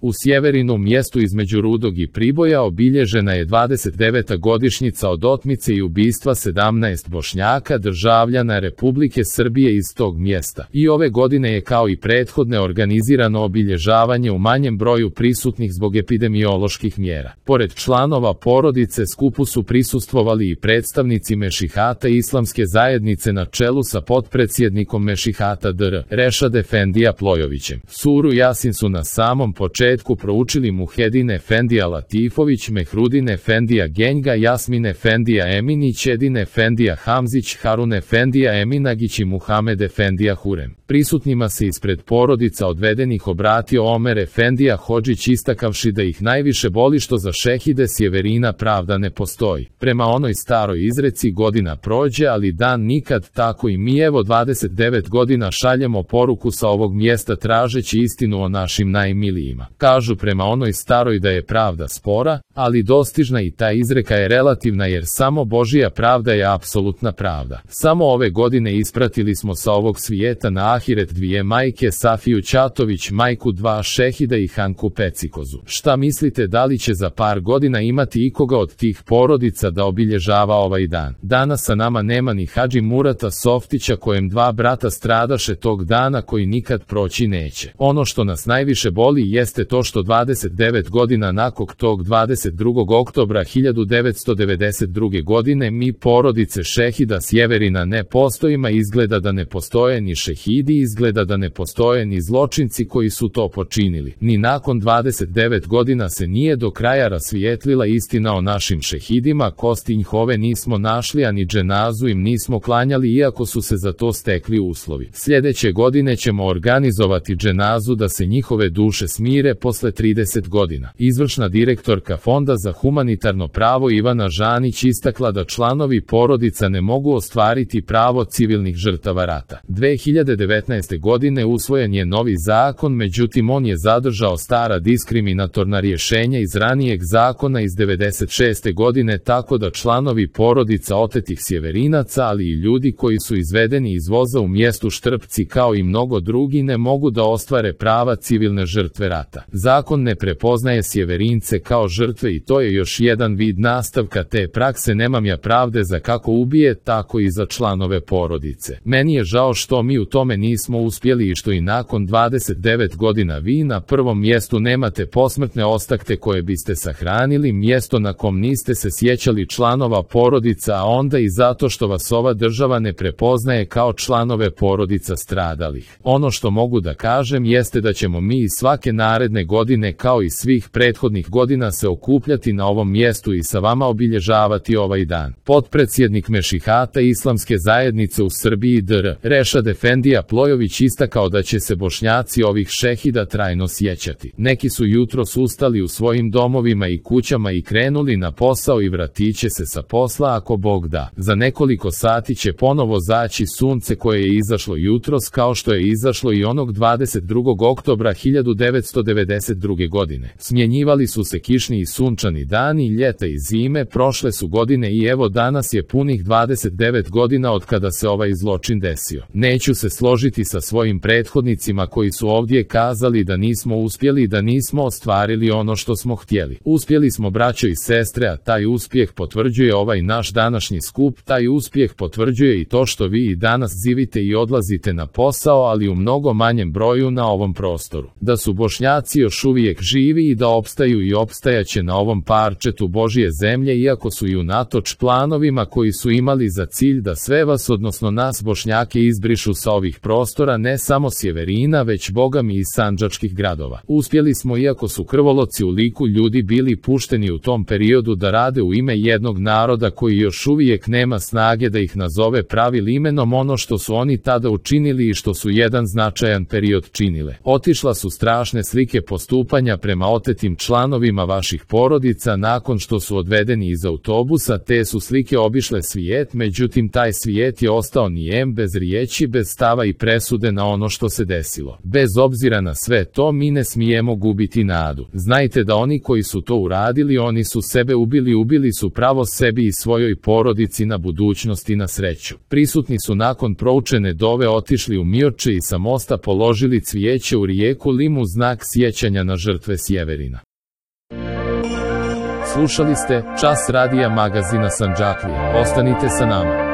U Sjeverinu, mjestu između Rudog i Priboja, obilježena je 29. godišnjica od otmice i ubistva 17 Bošnjaka državljana Republike Srbije iz tog mjesta. I ove godine je kao i prethodne organizirano obilježavanje u manjem broju prisutnih zbog epidemioloških mjera. Pored članova porodice skupu su prisustvovali i predstavnici Mešihata Islamske zajednice na čelu sa potpredsjednikom Mešihata Dr. Rešad Efendija Plojovićem. Suru Jasin su na samom početku proučili Muhedin Efendija Latifović, Mehrudin Efendija Genjga, Jasmin Efendija Eminić, Edin Efendija Hamzić, Harun Efendija Eminagić i Muhamed Efendija Hurem. Prisutnima se ispred porodica odvedenih obratio Omer Efendija Hodžić, istakavši da ih najviše boli što za šehide Sjeverina pravda ne postoji. Prema onoj staroj izreci, godina prođe, ali dan nikad, tako i mi evo 29 godina šaljemo poruku sa ovog mjesta tražeći istinu o našim najmilijima. Kažu prema onoj staroj da je pravda spora, ali dostižna, i ta izreka je relativna jer samo Božija pravda je apsolutna pravda. Samo ove godine ispratili smo sa ovog svijeta na ahiret dvije majke, Safiju Ćatović, majku dva šehida, i Hanku Pecikozu. Šta mislite, da li će za par godina imati ikoga od tih porodica da obilježava ovaj dan? Danas sa nama nema ni Hadži Murata Softića, kojem dva brata stradaše tog dana, koji nikad proći neće. Ono što nas najviše boli jeste to što 29 godina nakon tog 22. oktobra 1992. godine mi, porodice šehida Sjeverina, ne postojimo. Izgleda da ne postoje ni šehidi, izgleda da ne postoje ni zločinci koji su to počinili. Ni nakon 29 godina se nije do kraja rasvijetlila istina o našim šehidima. Kosti njihove nismo našli, a ni dženazu im nismo klanjali, iako su se za to stekli uslovi. Sljedeće godine ćemo organizovati dženazu da se njihove duše smire posle 30 godina. Izvršna direktorka Fonda za humanitarno pravo Ivana Žanić istakla da članovi porodica ne mogu ostvariti pravo civilnih žrtava rata. 2019. godine usvojen je novi zakon, međutim on je zadržao stara diskriminatorna rješenja iz ranijeg zakona iz 96. godine, tako da članovi porodica otetih Sjeverinaca, ali i ljudi koji su izvedeni iz voza u mjestu Štrpci, kao i mnogo drugi, ne mogu da ostvare prava civilne žrtve rata. Zakon ne prepoznaje Sjeverince kao žrtve i to je još jedan vid nastavka te prakse nemamja pravde za kako ubije, tako i za članove porodice. Meni je žao što mi u tome nismo uspjeli i što i nakon 29 godina vi na prvom mjestu nemate posmrtne ostakte koje biste sahranili, mjesto na kom niste se sjećali članova porodica, a onda i zato što vas ova država ne prepoznaje kao članove porodica stradalih. Ono što mogu da kažem jeste da ćemo mi i svake naredne godine, kao i svih prethodnih godina, se okupljati na ovom mjestu i sa vama obilježavati ovaj dan. Potpredsjednik Mešihata Islamske zajednice u Srbiji Dr. Rešad Efendija Plojović istakao da će se Bošnjaci ovih šehida trajno sjećati. Neki su jutros ustali u svojim domovima i kućama i krenuli na posao i vratit će se sa posla ako Bog da. Za nekoliko sati će ponovo zaći sunce koje je izašlo jutros, kao što je izašlo i onog 22. oktobra 1992. godine. Smjenjivali su se kišni i sunčani dani, ljeta i zime, prošle su godine i evo danas je punih 29 godina od kada se ovaj zločin desio. Neću se složiti sa svojim prethodnicima koji su ovdje kazali da nismo uspjeli i da nismo ostvarili ono što smo htjeli. Uspjeli smo, braćo i sestre, a taj uspjeh potvrđuje ovaj naš današnji skup, taj uspjeh potvrđuje i to što vi i danas živite i odlazite na posao, ali u mnogo manjem broju na ovom prostoru. Da su Bošnjaci još uvijek živi i da opstaju i opstajaće na ovom parčetu Božje zemlje, iako su i unatoč planovima koji su imali za cilj da sve vas, odnosno nas Bošnjake, izbrišu sa ovih prostora, ne samo Sjeverina, već bogami i sandžačkih gradova. Uspjeli smo, iako su krvoloci u liku ljudi bili pušteni u tom periodu da rade u ime jednog naroda koji još uvijek nema snage da ih nazove pravim imenom, ono što su oni tada učinili i što su jedan značajan period činile. Otišla su strašne slike postupanja prema otetim članovima vaših porodica nakon što su odvedeni iz autobusa. Te su slike obišle svijet, međutim taj svijet je ostao nijem, bez riječi, bez stava i presude na ono što se desilo. Bez obzira na sve to, mi ne smijemo gubiti nadu. Znajte da oni koji su to uradili, oni su sebe ubili su pravo sebi i svojoj porodici na budućnost i na sreću. Prisutni su nakon proučene dove otišli u Mioče i sa mosta položili cvijeće u rijeku Limu, znak sjećanja sjećanja na žrtve Sjeverina. Slušali ste Čas radija magazina Sandžaklija. Ostanite sa nama.